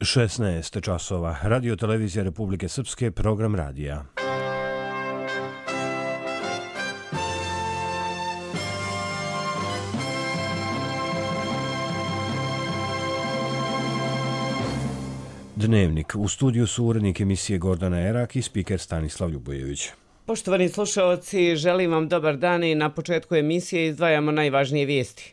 16 časova. Radio Televizija Republike Srpske, program radija. Dnevnik. U studiju su urednik emisije Gordana Erak i spiker Stanislav Ljubojević. Poštovani slušaoci, želim vam dobar dan i na početku emisije izdvajamo najvažnije vijesti.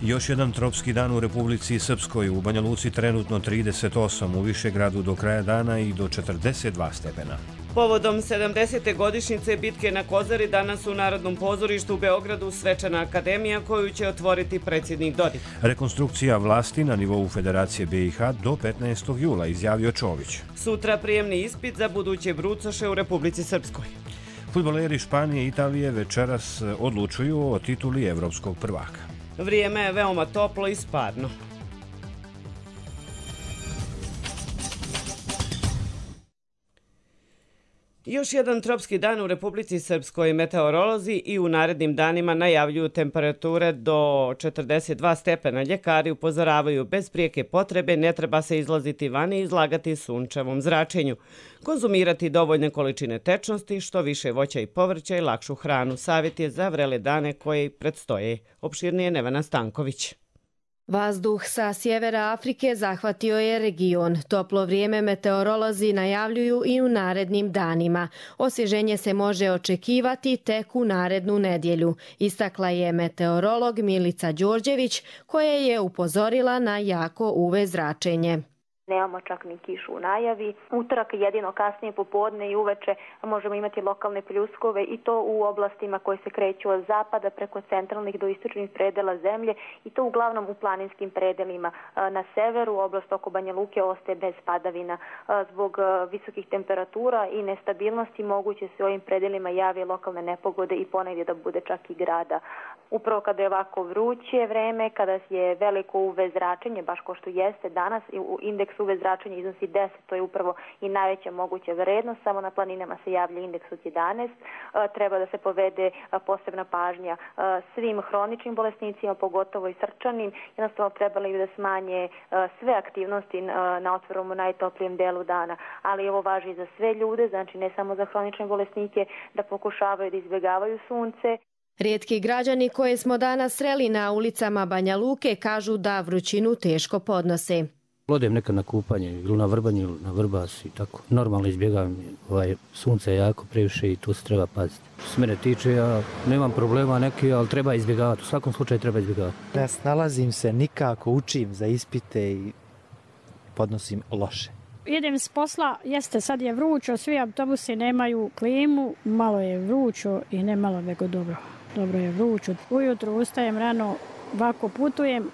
Još jedan tropski dan u Republici Srpskoj. U Banja Luci trenutno 38, u Višegradu do kraja dana i do 42 stepena. Povodom 70. godišnjice bitke na Kozari danas u Narodnom pozorištu u Beogradu svečana akademija koju će otvoriti predsjednik Dodik. Rekonstrukcija vlasti na nivou Federacije BiH do 15. jula, izjavio Čović. Sutra prijemni ispit za buduće brucoše u Republici Srpskoj. Fudbaleri Španije i Italije večeras odlučuju o tituli evropskog prvaka. Vrijeme je veoma toplo i sparno. Još jedan tropski dan u Republici Srpskoj. Meteorolozi i u narednim danima najavljuju temperature do 42 stepena. Ljekari upozoravaju bez prijeke potrebe ne treba se izlaziti van i izlagati sunčevom zračenju. Konzumirati dovoljne količine tečnosti, što više voća i povrća i lakšu hranu. Savjet je za vrele dane koje predstoje. Opširnije Nevena Stanković. Vazduh sa sjevera Afrike zahvatio je region. Toplo vrijeme meteorolozi najavljuju i u narednim danima. Osvježenje se može očekivati tek u narednu nedjelju, istakla je meteorolog Milica Đorđević, koja je upozorila na jako UV zračenje. Nemamo čak ni kišu u najavi. Utorak jedino kasnije popodne i uveče možemo imati lokalne pljuskove i to u oblastima koje se kreću od zapada preko centralnih do istočnih predela zemlje i to uglavnom u planinskim predelima. Na severu oblast oko Banja Luke ostaje bez padavina. Zbog visokih temperatura i nestabilnosti moguće se u ovim predelima jave lokalne nepogode i ponegdje da bude čak i grada. Upravo kada je ovako vruće vreme, kada je veliko UV zračenje, baš kao što jeste danas, indeks UV zračenja iznosi 10, to je upravo i najveća moguća vrednost, samo na planinama se javlja indeks od 11. Treba da se povede posebna pažnja svim hroničnim bolesnicima, pogotovo i srčanim. Jednostavno trebali bi da smanje sve aktivnosti na otvorenom u najtoplijem delu dana, ali ovo važi i za sve ljude, znači ne samo za hronične bolesnike, da pokušavaju da izbjegavaju sunce. Rijetki građani koje smo danas sreli na ulicama Banja Luke kažu da vrućinu teško podnose. Odem nekad na kupanje ili na vrbanje ili na vrbas i tako. Normalno izbjegavam, sunce je jako previše i tu se treba paziti. Što se mene tiče, ja nemam problema neki, ali treba izbjegavati. U svakom slučaju treba izbjegavati. Ne snalazim se nikako, učim za ispite i podnosim loše. Idem s posla, jeste sad je vrućo, svi autobusi nemaju klimu, malo je vrućo i ne malo nego dobro. Dobro je vrućo. Ujutru ustajem rano, ovako putujem.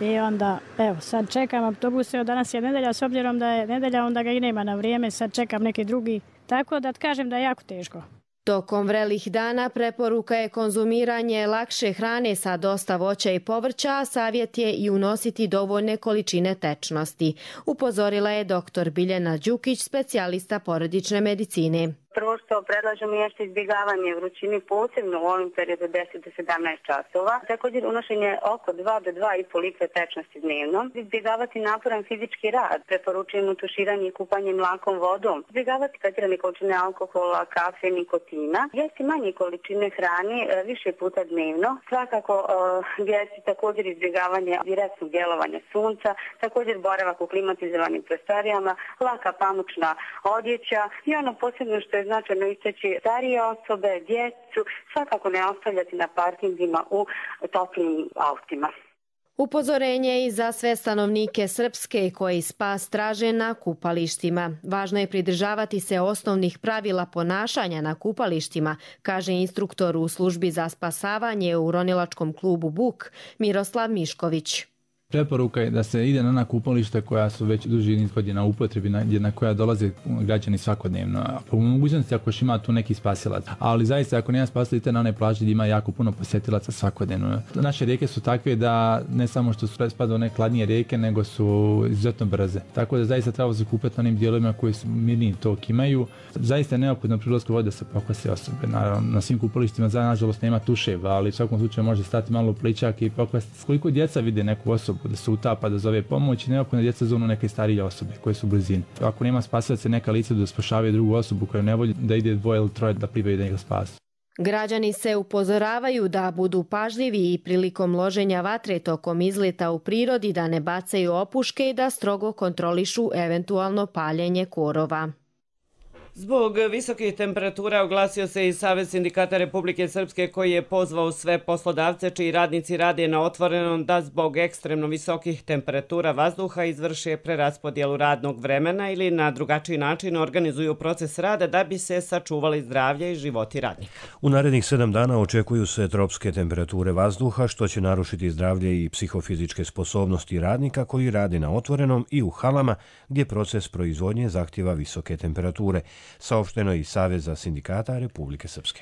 I onda, evo, sad čekam autobuse, danas je nedelja, s obzirom da je nedelja, onda ga i nema na vrijeme, sad čekam neki drugi. Tako da kažem da je jako teško. Tokom vrelih dana preporuka je konzumiranje lakše hrane sa dosta voća i povrća, a savjet je i unositi dovoljne količine tečnosti. Upozorila je dr. Biljana Đukić, specijalista porodične medicine. Prvo što predlažemo jeste izbjegavanje vrućini, posebno u ovom periodu 10 do 17 časova. Također unošenje oko 2 do 2,5 litre tečnosti dnevno. Izbjegavati naporan fizički rad, preporučujemo tuširanje i kupanje mlakom vodom. Izbjegavati pretjerane količine alkohola, kafe, nikotina. Jesti manje količine hrane više puta dnevno. Svakako jesti također izbjegavanje direktnog djelovanja sunca, također boravak u klimatizovanim prostorijama, laka pamučna odjeća i ono posebno što je značajno istaći starije osobe, djecu, svakako ne ostavljati na parkingima u toplim autima. Upozorenje i za sve stanovnike Srpske koji spas traže na kupalištima. Važno je pridržavati se osnovnih pravila ponašanja na kupalištima, kaže instruktor u službi za spasavanje u ronilačkom klubu Buk Miroslav Mišković. Preporuka je da se ide na kupališta koja su već duži niz godina u upotrebi, na koja dolaze građani svakodnevno. A po mogućnosti ako još ima tu neki spasilac. Ali zaista ako nema spasilaca na one plaže gdje ima jako puno posjetilaca svakodnevno. Naše rijeke su takve da ne samo što su spada one hladnije rijeke, nego su izuzetno brze. Tako da zaista treba se kupati na onim dijelovima koji su mirniji tok imaju. Zaista je neophodno pri ulasku vode da se pokvase osobe. Naravno, na svim kupalištima nažalost nema tuševa, ali u svakom slučaju može stati malo u pličak i pokvasti. Koliko djeca vide neku osobu da se utapa, da zove pomoć, neophodno djeca zovnu neke starije osobe koje su u blizini. Ako nema spasilaca, neka lica da spašavaju drugu osobu koja ne voli da ide dvoje ili troje da plivaju da njega spasu. Građani se upozoravaju da budu pažljivi i prilikom loženja vatre tokom izleta u prirodi, da ne bacaju opuške i da strogo kontrolišu eventualno paljenje korova. Zbog visokih temperatura oglasio se i Savez sindikata Republike Srpske koji je pozvao sve poslodavce čiji radnici rade na otvorenom da zbog ekstremno visokih temperatura vazduha izvrše preraspodjelu radnog vremena ili na drugačiji način organizuju proces rada da bi se sačuvali zdravlje i životi radnika. U narednih 7 dana očekuju se tropske temperature vazduha što će narušiti zdravlje i psihofizičke sposobnosti radnika koji rade na otvorenom i u halama gdje proces proizvodnje zahtjeva visoke temperature. Saopšteno iz Saveza sindikata Republike Srpske.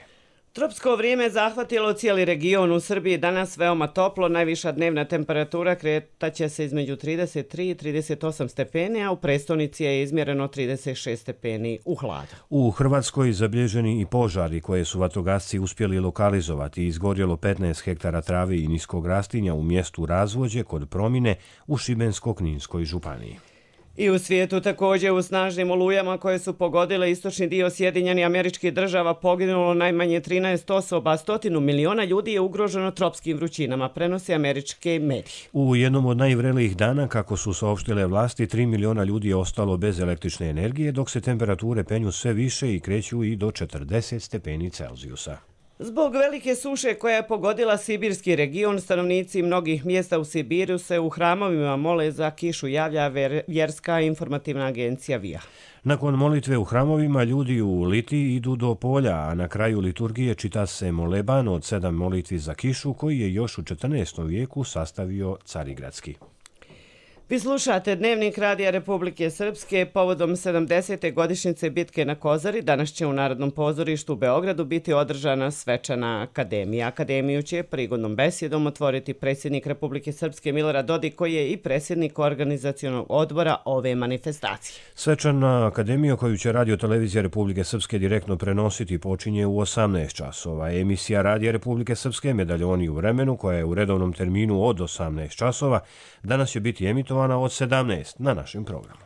Tropsko vrijeme zahvatilo cijeli region. U Srbiji danas veoma toplo, najviša dnevna temperatura kretaće se između 33 i 38 stepeni, a u prestonici je izmjereno 36 stepeni u hladu. U Hrvatskoj zabilježeni i požari koje su vatrogasci uspjeli lokalizovati. Izgorjelo 15 hektara trave i niskog rastinja u mjestu Razvođe kod Promine u Šibensko-kninskoj županiji. I u svijetu također u snažnim olujama koje su pogodile istočni dio Sjedinjenih Američkih Država poginulo najmanje 13 osoba, 100 miliona ljudi je ugroženo tropskim vrućinama, prenose američke medije. U jednom od najvrelijih dana, kako su saopštile vlasti, 3 miliona ljudi je ostalo bez električne energije, dok se temperature penju sve više i kreću i do 40 stepeni Celzijusa. Zbog velike suše koja je pogodila sibirski region, stanovnici mnogih mjesta u Sibiru se u hramovima mole za kišu, javlja vjerska informativna agencija VIA. Nakon molitve u hramovima, ljudi u Litiji idu do polja, a na kraju liturgije čita se moleban od 7 molitvi za kišu koji je još u 14. vijeku sastavio Carigradski. Vi slušate Dnevnik Radija Republike Srpske povodom 70. godišnjice bitke na Kozari. Danas će u Narodnom pozorištu u Beogradu biti održana svečana akademija. Akademiju će prigodnom besjedom otvoriti predsjednik Republike Srpske Milorad Dodik, koji je i predsjednik organizacionog odbora ove manifestacije. Svečana akademija koju će Radio Televizija Republike Srpske direktno prenositi počinje u 18 časova. Emisija Radija Republike Srpske Medaljoni u vremenu, koja je u redovnom terminu od 18 časova, danas će biti emitovana od 17 na našem programu.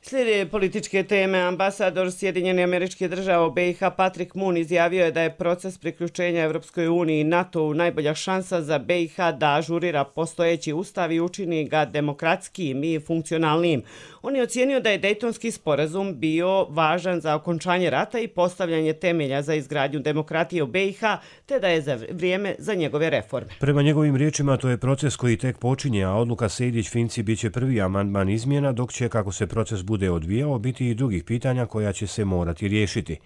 Slijede političke teme. Ambasador Sjedinjenih Američkih Država u BiH Patrick Moon izjavio je da je proces priključenja Evropskoj uniji i NATO najbolja šansa za BiH da ažurira postojeći ustav i učini ga demokratskim i funkcionalnim. On je ocijenio da je Dejtonski sporazum bio važan za okončanje rata i postavljanje temelja za izgradnju demokratije u BiH, te da je vrijeme za njegove reforme. Prema njegovim riječima, to je proces koji tek počinje, a odluka Sejdić-Finci biće prvi amandman izmjena, dok će, kako se proces bude odvijao, biti i drugih pitanja koja će se morati riješiti.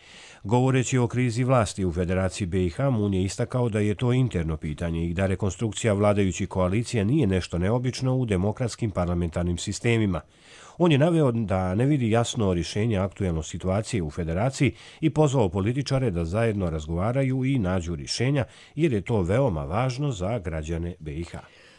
Govoreći o krizi vlasti u Federaciji BiH, Moon je istakao da je to interno pitanje i da rekonstrukcija vladajućih koalicija nije nešto neobično u demokratskim parlamentarnim sistemima. On je naveo da ne vidi jasno rješenje aktuelne situacije u Federaciji i pozvao političare da zajedno razgovaraju i nađu rješenja, jer je to veoma važno za građane BiH.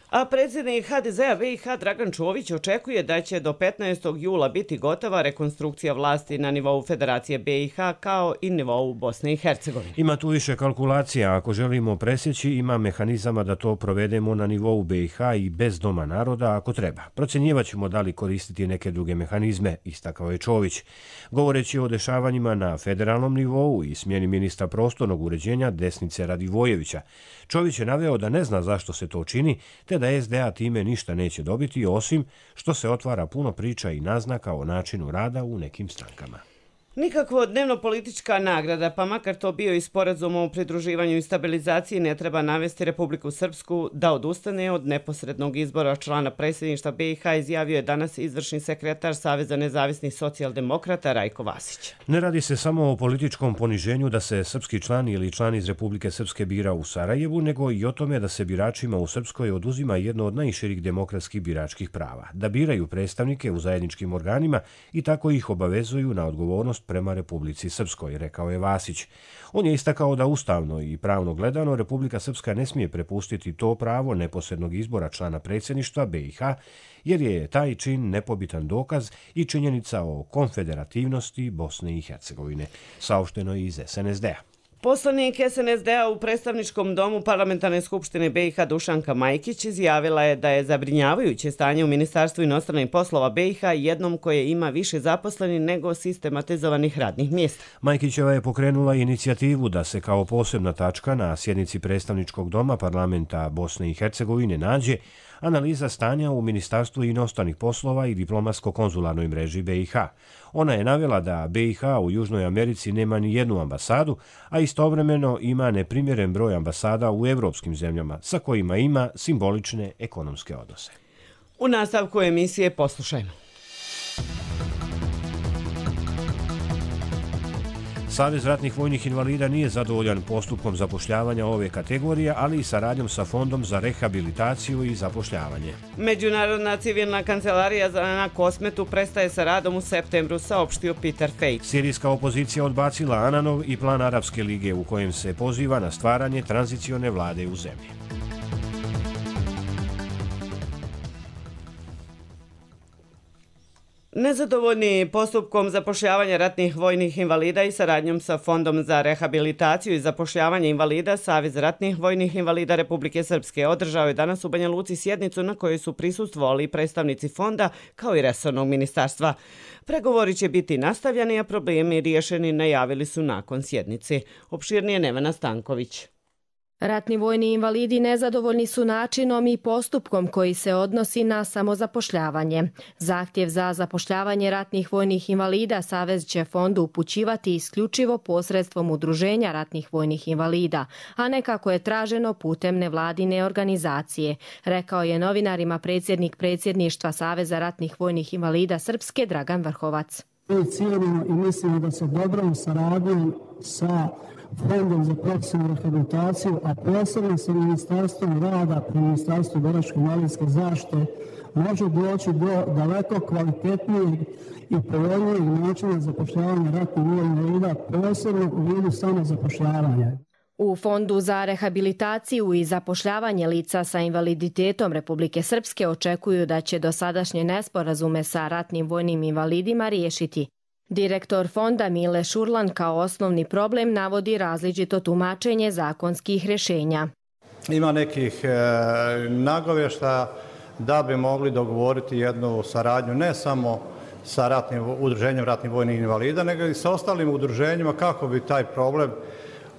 A predsjednik HDZ-a BiH Dragan Čović očekuje da će do 15. jula biti gotova rekonstrukcija vlasti na nivou Federacije BiH kao i nivou Bosne i Hercegovine. Ima tu više kalkulacija. Ako želimo presjeći, ima mehanizama da to provedemo na nivou BiH i bez Doma naroda ako treba. Procjenjivat ćemo da li koristiti neke druge mehanizme, istakao je Čović. Govoreći o dešavanjima na federalnom nivou i smjeni ministra prostornog uređenja Desnice Radivojevića, Čović je naveo da ne zna zašto se to čini, te da SDA time ništa neće dobiti, osim što se otvara puno priča i naznaka o načinu rada u nekim strankama. Nikakvo dnevno-politička nagrada, pa makar to bio i sporazum o pridruživanju i stabilizaciji, ne treba navesti Republiku Srpsku da odustane od neposrednog izbora člana predsjedništva BiH, izjavio je danas izvršni sekretar Saveza nezavisnih socijaldemokrata Rajko Vasić. Ne radi se samo o političkom poniženju da se srpski član ili član iz Republike Srpske bira u Sarajevu, nego i o tome da se biračima u Srpskoj oduzima jedno od najširih demokratskih biračkih prava, da biraju predstavnike u zajedničkim organima i tako ih obavezuju na odgovornost prema Republici Srpskoj, rekao je Vasić. On je istakao da ustavno i pravno gledano Republika Srpska ne smije prepustiti to pravo neposrednog izbora člana predsjedništva BiH, jer je taj čin nepobitan dokaz i činjenica o konfederativnosti Bosne i Hercegovine, saopšteno iz SNSD-a. Poslanik SNSD-a u predstavničkom domu Parlamentarne skupštine BiH Dušanka Majkić izjavila je da je zabrinjavajuće stanje u Ministarstvu inostranih poslova BiH, jednom koje ima više zaposlenih nego sistematizovanih radnih mjesta. Majkićeva je pokrenula inicijativu da se kao posebna tačka na sjednici predstavničkog doma Parlamenta Bosne i Hercegovine nađe analiza stanja u Ministarstvu inostranih poslova i diplomatsko-konzularnoj mreži BiH. Ona je navela da BiH u Južnoj Americi nema ni jednu ambasadu, a istovremeno ima neprimjeren broj ambasada u evropskim zemljama, sa kojima ima simbolične ekonomske odnose. U nastavku emisije poslušajmo. Savez ratnih vojnih invalida nije zadovoljan postupkom zapošljavanja ove kategorije, ali i saradnjom sa Fondom za rehabilitaciju i zapošljavanje. Međunarodna civilna kancelarija na Kosmetu prestaje sa radom u septembru, saopštio Peter Fake. Sirijska opozicija odbacila Ananov i plan Arapske lige u kojem se poziva na stvaranje tranzicione vlade u zemlji. Nezadovoljni postupkom zapošljavanja ratnih vojnih invalida i saradnjom sa Fondom za rehabilitaciju i zapošljavanje invalida, Savez ratnih vojnih invalida Republike Srpske održao je danas u Banja Luci sjednicu na kojoj su prisustvovali predstavnici fonda kao i resornog ministarstva. Pregovori će biti nastavljeni, a problemi riješeni najavili su nakon sjednice. Opširnije Nevena Stanković. Ratni vojni invalidi nezadovoljni su načinom i postupkom koji se odnosi na samozapošljavanje. Zahtjev za zapošljavanje ratnih vojnih invalida Savez će fondu upućivati isključivo posredstvom udruženja ratnih vojnih invalida, a ne kako je traženo putem nevladine organizacije, rekao je novinarima predsjednik predsjedništva Saveza ratnih vojnih invalida Srpske Dragan Vrhovac. Mi cijenimo i mislimo da se dobrom saradnjom sa Fondom za profesionalnu rehabilitaciju, a posebno sa Ministarstvom rada pri Ministarstvu boračko-invalidske zaštite može doći do daleko kvalitetnijeg i povoljnijeg načina zapošljavanja ratnih vojnih invalida, posebno u vidu samozapošljavanja. U Fondu za rehabilitaciju i zapošljavanje lica sa invaliditetom Republike Srpske očekuju da će dosadašnje nesporazume sa ratnim vojnim invalidima riješiti. Direktor fonda Mile Šurlan kao osnovni problem navodi različito tumačenje zakonskih rješenja. Ima nekih nagovještaja da bi mogli dogovoriti jednu saradnju ne samo sa udruženjem ratnih vojnih invalida, nego i sa ostalim udruženjima kako bi taj problem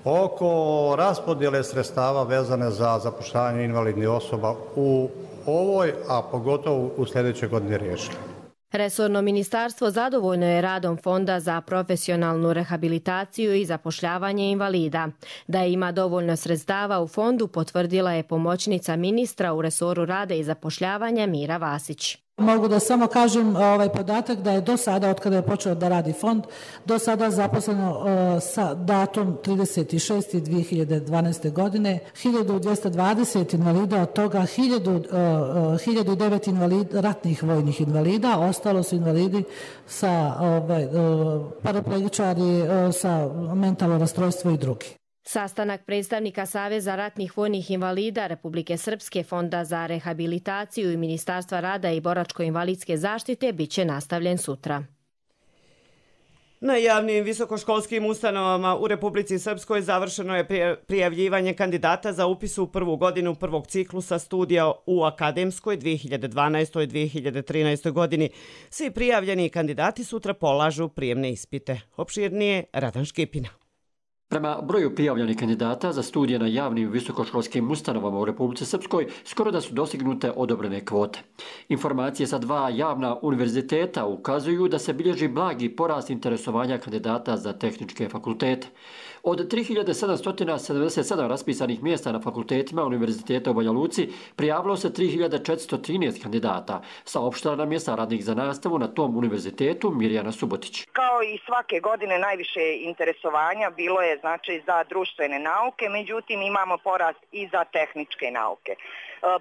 oko raspodjele sredstava vezane za zapošljavanje invalidnih osoba u ovoj, a pogotovo u sljedećoj godini riješili. Resorno ministarstvo zadovoljno je radom Fonda za profesionalnu rehabilitaciju i zapošljavanje invalida. Da ima dovoljno sredstava u fondu potvrdila je pomoćnica ministra u resoru rada i zapošljavanja Mira Vasić. Mogu da samo kažem ovaj podatak da je do sada, od kada je počeo da radi fond, do sada zaposleno sa datum 36.2012. godine 1220 invalida, od toga 1009 ratnih vojnih invalida, ostalo su invalidi sa paraplegičari, sa mentalno rastrojstvo i drugi. Sastanak predstavnika Saveza ratnih vojnih invalida Republike Srpske, Fonda za rehabilitaciju i Ministarstva rada i boračko-invalidske zaštite biće nastavljen sutra. Na javnim visokoškolskim ustanovama u Republici Srpskoj završeno je prijavljivanje kandidata za upis u prvu godinu prvog ciklusa studija u akademskoj 2012. i 2013. godini. Svi prijavljeni kandidati sutra polažu prijemne ispite. Opširnije Radan Škipina. Prema broju prijavljenih kandidata za studije na javnim visokoškolskim ustanovama u Republici Srpskoj skoro da su dostignute odobrene kvote. Informacije sa 2 javna univerziteta ukazuju da se bilježi blagi porast interesovanja kandidata za tehničke fakultete. Od 3777 raspisanih mjesta na fakultetima Univerziteta u Banja Luci prijavilo se 3413 kandidata, saopštila nam je saradnik za nastavu na tom univerzitetu Mirjana Subotić. Kao i svake godine najviše interesovanja bilo je znači za društvene nauke, međutim imamo porast i za tehničke nauke.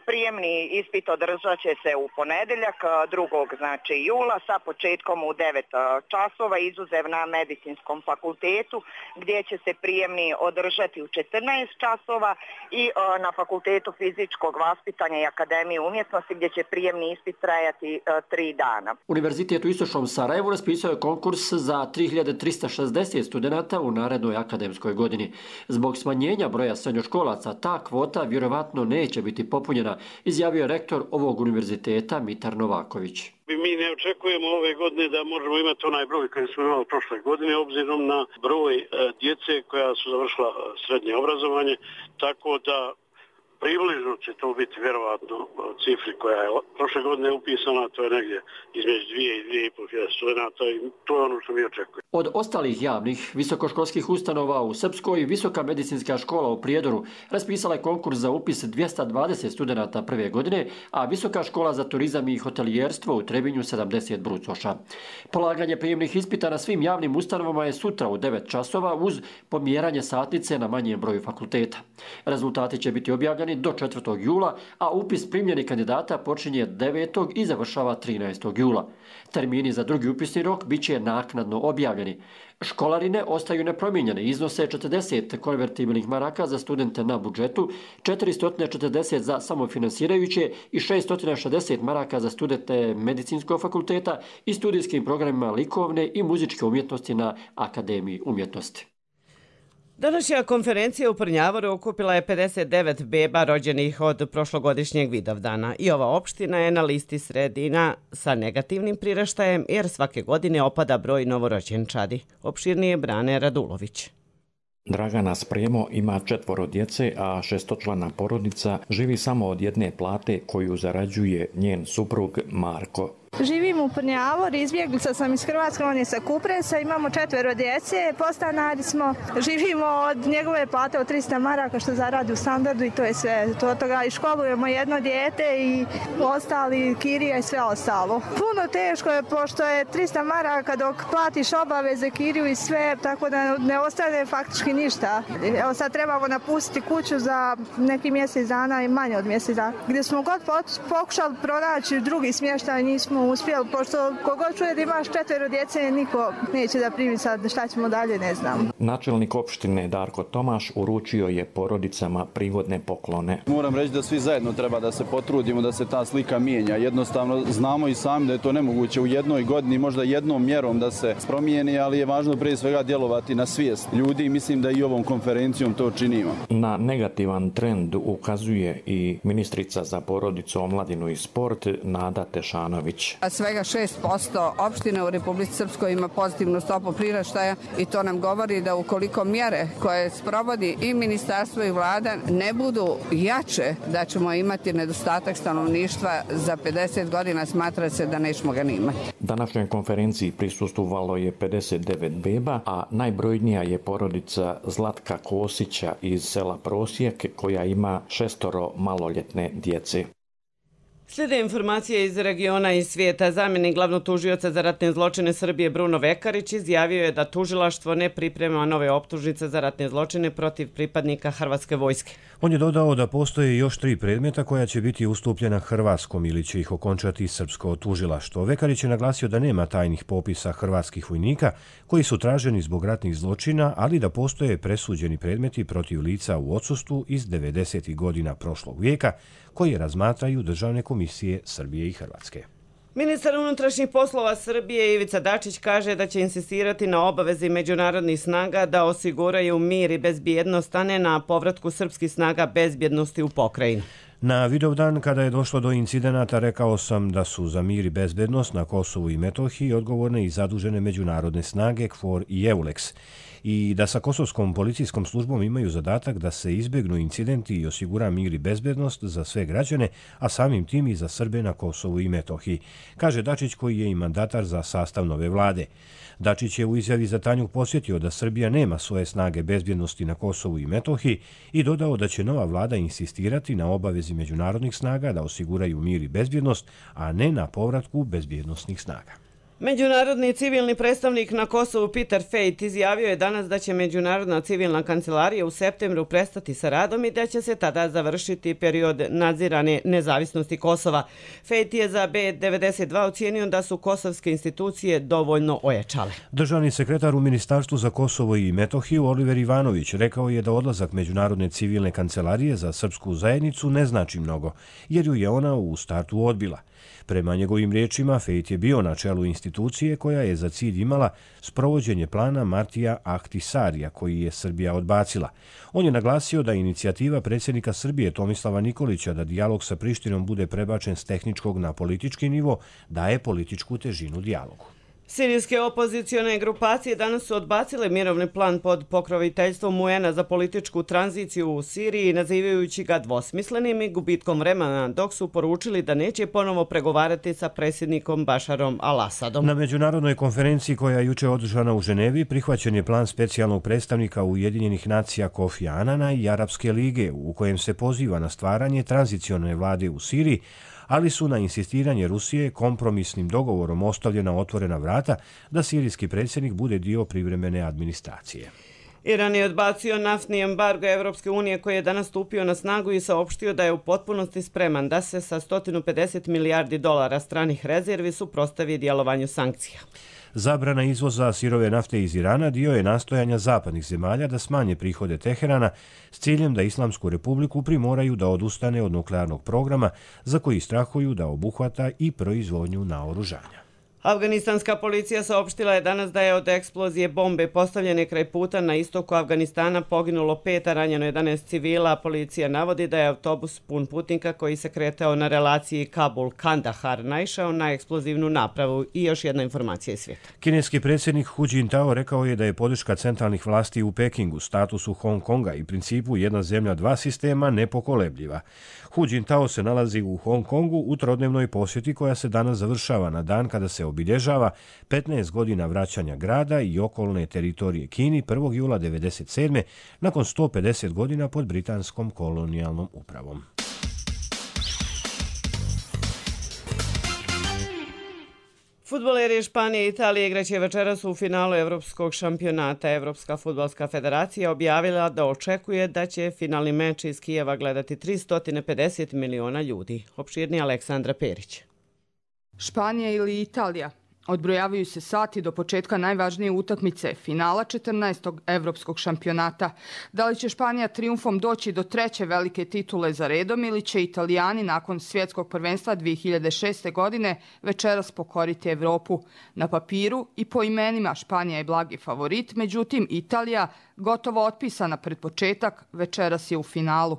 Prijemni ispit održat će se u ponedeljak 2. znači jula sa početkom u 9 časova, izuzev na medicinskom fakultetu gdje će se prijemni održati u 14 časova i na fakultetu fizičkog vaspitanja i Akademije umjetnosti gdje će prijemni ispit trajati 3 dana. Univerzitet u Istočnom Sarajevu raspisao je konkurs za 3360 studenata u narednoj akademskoj godini. Zbog smanjenja broja srednjoškolaca ta kvota vjerovatno neće biti popunjena, izjavio je rektor ovog univerziteta Mitar Novaković. Mi ne očekujemo ove godine da možemo imati onaj broj koji smo imali prošle godine, obzirom na broj djece koja su završila srednje obrazovanje, tako da približno će to biti vjerovatno cifri koja je prošle godine upisana, to je negdje između 2 i 2.500 studenta i to je ono što mi očekujemo. Od ostalih javnih visokoškolskih ustanova u Srpskoj, Visoka medicinska škola u Prijedoru raspisala je konkurs za upis 220 studenata prve godine, a Visoka škola za turizam i hotelijerstvo u Trebinju 70 brucoša. Polaganje prijemnih ispita na svim javnim ustanovama je sutra u 9 časova uz pomjeranje satnice na manjem broju fakulteta. Rezultati će biti objavljeni do 4. jula, a upis primljenih kandidata počinje 9. i završava 13. jula. Termini za drugi upisni rok bit će naknadno objavljeni. Školarine ostaju nepromijenjene, iznose 40 konvertibilnih maraka za studente na budžetu, 440 za samofinansirajuće i 660 maraka za studente medicinskog fakulteta i studijskim programima likovne i muzičke umjetnosti na Akademiji umjetnosti. Današnja konferencija u Prnjavoru okupila je 59 beba rođenih od prošlogodišnjeg Vidovdana i ova opština je na listi sredina sa negativnim priraštajem jer svake godine opada broj novorođenčadi. Opširnije Brane Radulović. Dragana Spremo ima 4 djece, a 6-člana porodica živi samo od jedne plate koju zarađuje njen suprug Marko. Živim u Prnjavoru, izbjeglica sam iz Hrvatske, on je sa Kupresa, imamo 4 djece, podstanari smo, živimo od njegove plate od 300 maraka što zaradi u standardu i to je sve. Od toga i školujemo jedno dijete i ostali kirija i sve ostalo. Puno teško je pošto je 300 maraka dok platiš obaveze, kiriju i sve, tako da ne ostane faktički ništa. Evo sad trebamo napustiti kuću za neki mjesec dana i manje od mjesec dana. Gdje smo god pokušali pronaći drugi smještaj, nismo uspjeli, pošto kogod čuje da imaš 4 djece, niko neće da primi sad, šta ćemo dalje, ne znam. Načelnik opštine Darko Tomaš uručio je porodicama prigodne poklone. Moram reći da svi zajedno treba da se potrudimo da se ta slika mijenja. Jednostavno znamo i sami da je to nemoguće u jednoj godini, možda jednom mjerom da se promijeni, ali je važno prije svega djelovati na svijest ljudi i mislim da i ovom konferencijom to činimo. Na negativan trend ukazuje i ministrica za porodicu, omladinu i sport Nada Tešanović. Svega 6% opština u Republici Srpskoj ima pozitivnu stopu priraštaja i to nam govori da ukoliko mjere koje sprovodi i ministarstvo i vlada ne budu jače, da ćemo imati nedostatak stanovništva za 50 godina, smatra se da nećemo ga ni imati. Današnjoj konferenciji prisustvovalo je 59 beba, a najbrojnija je porodica Zlatka Kosića iz sela Prosjek koja ima 6 maloljetne djece. Slijede informacije iz regiona i svijeta. Zamjenik glavnog tužioca za ratne zločine Srbije Bruno Vekarić izjavio je da tužilaštvo ne priprema nove optužnice za ratne zločine protiv pripadnika Hrvatske vojske. On je dodao da postoje još 3 predmeta koja će biti ustupljena hrvatskom ili će ih okončati srpsko tužilaštvo. Vekarić je naglasio da nema tajnih popisa hrvatskih vojnika koji su traženi zbog ratnih zločina, ali da postoje presuđeni predmeti protiv lica u odsustvu iz 90. godina prošlog vijeka koji razmatraju državne komisije Srbije i Hrvatske. Ministar unutrašnjih poslova Srbije Ivica Dačić kaže da će insistirati na obavezi međunarodnih snaga da osiguraju mir i bezbjednost, a ne na povratku srpskih snaga bezbjednosti u pokrajinu. Na Vidovdan, kada je došlo do incidenata, rekao sam da su za mir i bezbednost na Kosovu i Metohiji odgovorne i zadužene međunarodne snage KFOR i EULEX i da sa kosovskom policijskom službom imaju zadatak da se izbjegnu incidenti i osigura mir i bezbednost za sve građane, a samim tim i za Srbe na Kosovu i Metohiji, kaže Dačić koji je i mandatar za sastav nove vlade. Dačić je u izjavi za Tanjug posjetio da Srbija nema svoje snage bezbjednosti na Kosovu i Metohiji i dodao da će nova vlada insistirati na obavezi međunarodnih snaga da osiguraju mir i bezbjednost, a ne na povratku bezbjednosnih snaga. Međunarodni civilni predstavnik na Kosovu Peter Fejt izjavio je danas da će Međunarodna civilna kancelarija u septembru prestati sa radom i da će se tada završiti period nadzirane nezavisnosti Kosova. Fejt je za B92 ocijenio da su kosovske institucije dovoljno ojačale. Državni sekretar u Ministarstvu za Kosovo i Metohiju Oliver Ivanović rekao je da odlazak Međunarodne civilne kancelarije za srpsku zajednicu ne znači mnogo, jer ju je ona u startu odbila. Prema njegovim riječima, Fejt je bio na čelu institucije koja je za cilj imala sprovođenje plana Martija Ahtisarija, koji je Srbija odbacila. On je naglasio da inicijativa predsjednika Srbije Tomislava Nikolića da dijalog sa Prištinom bude prebačen s tehničkog na politički nivo daje političku težinu dijalogu. Sirijske opozicione grupacije danas su odbacile mirovni plan pod pokroviteljstvom UN-a za političku tranziciju u Siriji, nazivajući ga dvosmislenim i gubitkom vremena, dok su poručili da neće ponovo pregovarati sa predsjednikom Bašarom al-Asadom. Na međunarodnoj konferenciji koja je juče održana u Ženevi prihvaćen je plan specijalnog predstavnika Ujedinjenih nacija Kofi Anana i Arapske lige, u kojem se poziva na stvaranje tranzicione vlade u Siriji, ali su na insistiranje Rusije kompromisnim dogovorom ostavljena otvorena vrata da sirijski predsjednik bude dio privremene administracije. Iran je odbacio naftni embargo Evropske unije koji je danas stupio na snagu i saopštio da je u potpunosti spreman da se sa 150 milijardi dolara stranih rezervi suprotstavi djelovanju sankcija. Zabrana izvoza sirove nafte iz Irana dio je nastojanja zapadnih zemalja da smanje prihode Teherana s ciljem da Islamsku republiku primoraju da odustane od nuklearnog programa za koji strahuju da obuhvata i proizvodnju naoružanja. Afganistanska policija saopštila je danas da je od eksplozije bombe postavljene kraj puta na istoku Afganistana poginulo 5, a ranjeno 11 civila. Policija navodi da je autobus pun putnika koji se kretao na relaciji Kabul-Kandahar naišao na eksplozivnu napravu. I još jedna informacija iz svijeta. Kineski predsjednik Hu Jintao rekao je da je podrška centralnih vlasti u Pekingu, statusu Hong Konga i principu jedna zemlja dva sistema nepokolebljiva. Hu Jintao se nalazi u Hong Kongu u trodnevnoj posjeti koja se danas završava na dan kada se obilježava 15 godina vraćanja grada i okolne teritorije Kini 1. jula 1997. nakon 150 godina pod britanskom kolonijalnom upravom. Fudbaleri Španije i Italije igraće večeras u finalu Evropskog šampionata. Evropska fudbalska federacija objavila da očekuje da će finalni meč iz Kijeva gledati 350 miliona ljudi. Opširnije Aleksandra Perić. Španija ili Italija. Odbrojavaju se sati do početka najvažnije utakmice, finala 14. Evropskog šampionata. Da li će Španija trijumfom doći do treće velike titule za redom ili će Italijani nakon svjetskog prvenstva 2006. godine večeras pokoriti Evropu? Na papiru i po imenima Španija je blagi favorit, međutim Italija, gotovo otpisana pred početak, večeras je u finalu.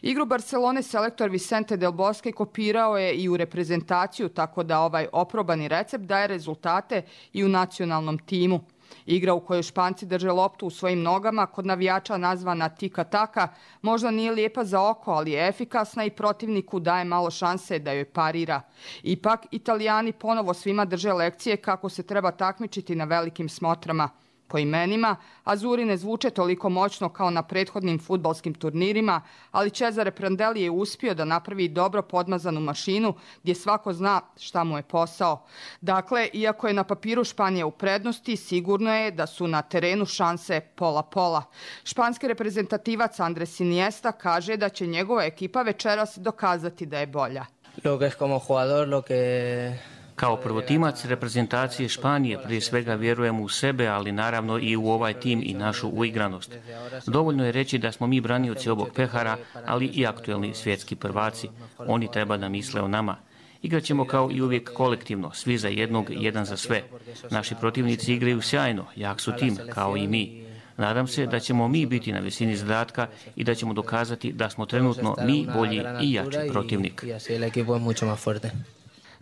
Igru Barcelone selektor Vicente Del Bosque kopirao je i u reprezentaciju, tako da ovaj oprobani recept daje rezultate i u nacionalnom timu. Igra u kojoj Španci drže loptu u svojim nogama, kod navijača nazvana tika-taka, možda nije lijepa za oko, ali je efikasna i protivniku daje malo šanse da joj parira. Ipak, Italijani ponovo svima drže lekcije kako se treba takmičiti na velikim smotrama. Po imenima, Azuri ne zvuče toliko moćno kao na prethodnim fudbalskim turnirima, ali Cesare Prandelli je uspio da napravi dobro podmazanu mašinu gdje svako zna šta mu je posao. Dakle, iako je na papiru Španija u prednosti, sigurno je da su na terenu šanse pola-pola. Španski reprezentativac Andres Iniesta kaže da će njegova ekipa večeras dokazati da je bolja. Kao prvotimac reprezentacije Španije prije svega vjerujemo u sebe, ali naravno i u ovaj tim i našu uigranost. Dovoljno je reći da smo mi branioci ovog pehara, ali i aktuelni svjetski prvaci. Oni treba da misle o nama. Igraćemo kao i uvijek kolektivno, svi za jednog, jedan za sve. Naši protivnici igraju sjajno, jak su tim, kao i mi. Nadam se da ćemo mi biti na visini zadatka i da ćemo dokazati da smo trenutno mi bolji i jači protivnik.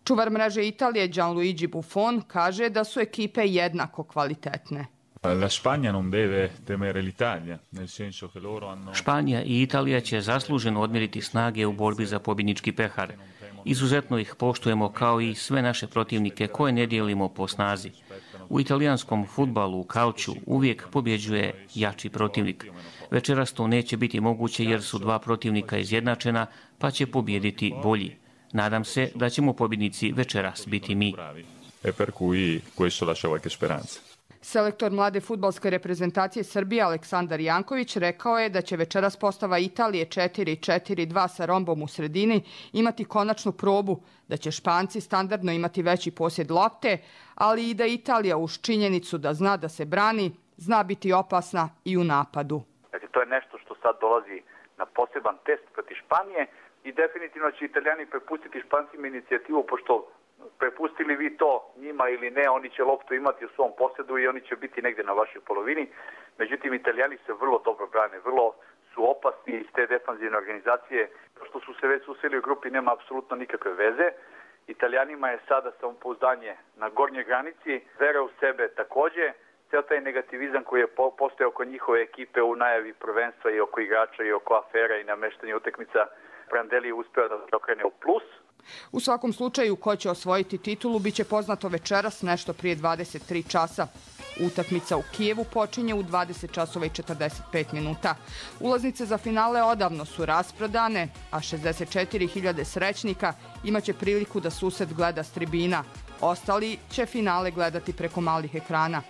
Čuvar mreže Italije Gianluigi Buffon kaže da su ekipe jednako kvalitetne. Španija i Italija će zasluženo odmjeriti snage u borbi za pobjednički pehar. Izuzetno ih poštujemo kao i sve naše protivnike koje ne dijelimo po snazi. U italijanskom fudbalu, u kalču, uvijek pobjeđuje jači protivnik. Večeras to neće biti moguće jer su dva protivnika izjednačena, pa će pobijediti bolji. Nadam se da ćemo pobjednici večeras biti mi. Selektor mlade fudbalske reprezentacije Srbije Aleksandar Janković rekao je da će večeras postava Italije 4-4-2 sa rombom u sredini imati konačnu probu, da će Španci standardno imati veći posjed lopte, ali i da Italija uz činjenicu da zna da se brani, zna biti opasna i u napadu. Dakle, to je nešto što sad dolazi na poseban test protiv Španije i definitivno će Italijani prepustiti Špancima inicijativu, pošto prepustili vi to njima ili ne, oni će loptu imati u svom posjedu i oni će biti negdje na vašoj polovini. Međutim, Italijani se vrlo dobro brane, vrlo su opasni iz te defanzivne organizacije. To što su se već susreli u grupi nema apsolutno nikakve veze. Italijanima je sada samopouzdanje na gornjoj granici, vera u sebe također. Ceo taj negativizam koji je postao oko njihove ekipe u najavi prvenstva i oko igrača i oko afera i namještanja utakmica, Prandelli je uspeo da se okrene u plus. U svakom slučaju, ko će osvojiti titulu biće poznato večeras nešto prije 23 časa. Utakmica u Kijevu počinje u 20 časova i 45 minuta. Ulaznice za finale odavno su rasprodane, a 64.000 srećnika imaće priliku da susret gleda s tribina. Ostali će finale gledati preko malih ekrana.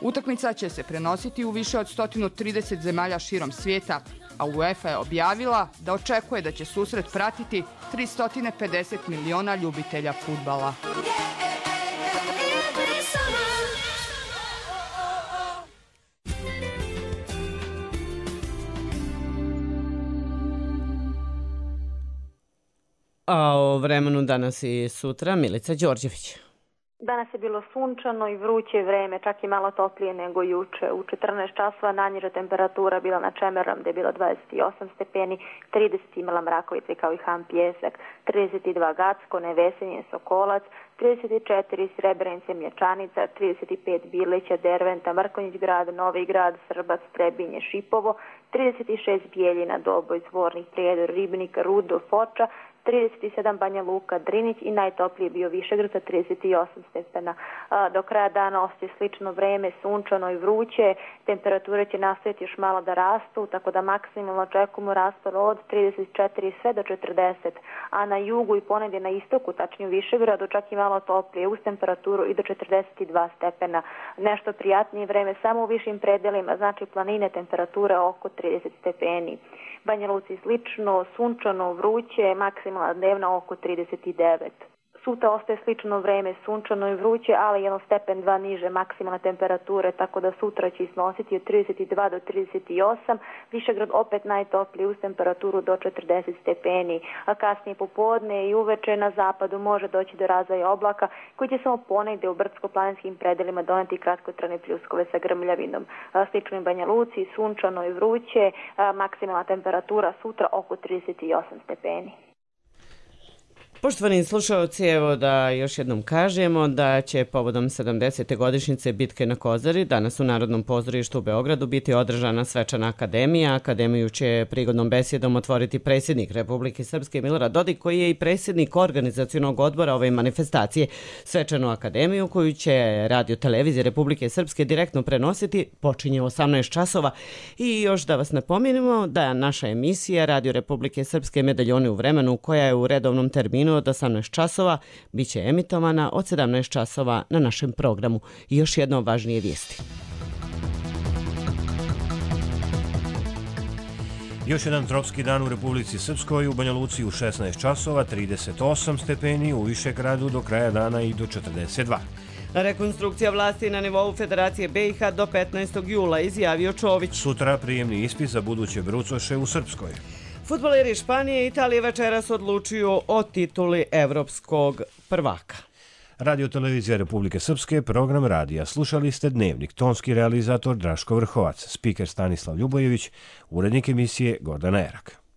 Utakmica će se prenositi u više od 130 zemalja širom svijeta, a UEFA je objavila da očekuje da će susret pratiti 350 miliona ljubitelja fudbala. A o vremenu danas i sutra Milica Đorđević. Danas je bilo sunčano i vruće vreme, čak i malo toplije nego juče. U 14 časova najniža temperatura bila na Čemerom, gdje je bilo 28 stepeni, 30 imala Mrakovica kao i Han Pjesak, 32 Gacko, Nevesenje, Sokolac, 34 Srebrenice, Mlječanica, 35 Birlića, Derventa, Mrkonjić grad, Novi grad, Srbac, Trebinje, Šipovo, 36 Bijeljina, Doboj, Zvornik, Prijedor, Ribnik, Rudo, Foča, 37 Banja Luka, Drinić i najtopliji je bio Višegrad sa 38 stepena. Do kraja dana ostaje slično vreme, sunčano i vruće, temperature će nastaviti još malo da rastu, tako da maksimalno očekujemo raspon od 34 sve do 40, a na jugu i ponegdje na istoku, tačnije u Višegradu, čak i malo toplije, uz temperaturu i do 42 stepena. Nešto prijatnije vreme samo u višim predelima, znači planine, temperature oko 30 stepeni. Banja Luci slično, sunčano, vruće, maksimalna dnevna oko 39. Sutra ostaje slično vreme, sunčano i vruće, ali 1 stepen 2 niže maksimalne temperature, tako da sutra će iznositi od 32 do 38, Višegrad opet najtopliji uz temperaturu do 40 stepeni, a kasnije popodne i uveče na zapadu može doći do razvoja oblaka koji će samo ponegde u brdsko-planinskim predelima doneti kratkotrajne pljuskove sa grmljavinom. Slično i Banja Luci, sunčano i vruće, maksimalna temperatura sutra oko 38 stepeni. Poštovani slušalci, evo da još jednom kažemo da će povodom 70. godišnjice bitke na Kozari danas u Narodnom pozorištu u Beogradu biti održana svečana akademija. Akademiju će prigodnom besedom otvoriti predsjednik Republike Srpske Milorad Dodik, koji je i predsjednik organizacionog odbora ove manifestacije. Svečanu akademiju koju će Radio Televizija Republike Srpske direktno prenositi počinje u 18 časova. I još da vas napomenemo da naša emisija Radio Republike Srpske Medaljoni u vremenu, koja je u redovnom terminu od 18 časova, bit će emitovana od 17 časova na našem programu. I još jedno važnije vijesti. Još jedan tropski dan u Republici Srpskoj, u Banja Luci u 16 časova, 38 stepeni, u Višegradu do kraja dana i do 42. Rekonstrukcija vlasti na nivou Federacije BiH do 15. jula, izjavio Čović. Sutra prijemni ispit za buduće brucoše u Srpskoj. Fudbaleri Španije i Italije večeras odlučuju o tituli evropskog prvaka. Radio Televizija Republike Srpske, program radija. Slušali ste Dnevnik, tonski realizator Draško Vrhovac, spiker Stanislav Ljubojević, urednik emisije Gordana Erak.